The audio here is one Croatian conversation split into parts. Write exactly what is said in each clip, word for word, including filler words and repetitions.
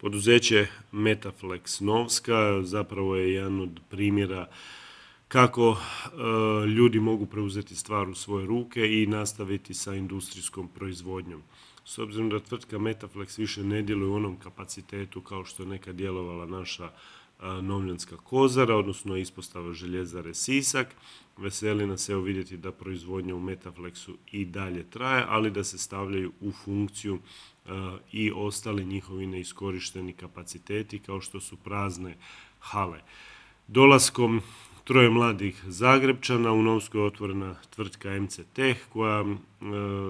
Poduzeće Metaflex Novska zapravo je jedan od primjera kako e, ljudi mogu preuzeti stvar u svoje ruke i nastaviti sa industrijskom proizvodnjom. S obzirom da tvrtka Metaflex više ne djeluje u onom kapacitetu kao što je nekad djelovala naša e, Novljanska Kozara, odnosno ispostava željezare Sisak, veseli nas evo vidjeti da proizvodnja u Metaflexu i dalje traje, ali da se stavljaju u funkciju e, i ostali njihovi neiskorišteni kapaciteti kao što su prazne hale. Dolaskom troje mladih Zagrebčana u Novskoj je otvorena tvrtka M C Tech koja e,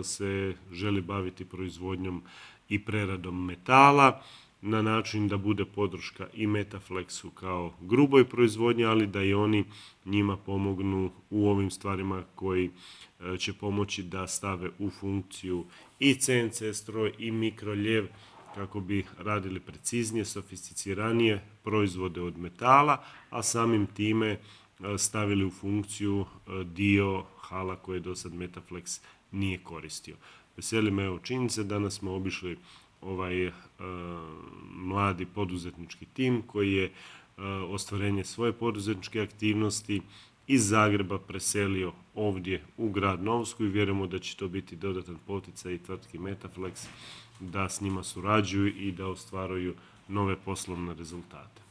se želi baviti proizvodnjom i preradom metala na način da bude podrška i Metaflexu kao gruboj proizvodnji, ali da i oni njima pomognu u ovim stvarima koji e, će pomoći da stave u funkciju i C N C stroj i mikroljev kako bi radili preciznije, sofisticiranije proizvode od metala, a samim time stavili u funkciju dio hala koje do sad Metaflex nije koristio. Veseli me evo činjenice, danas smo obišli ovaj uh, mladi poduzetnički tim koji je uh, ostvarenje svoje poduzetničke aktivnosti iz Zagreba preselio ovdje u grad Novsku i vjerujemo da će to biti dodatan poticaj i tvrtki Metaflex da s njima surađuju i da ostvaruju nove poslovne rezultate.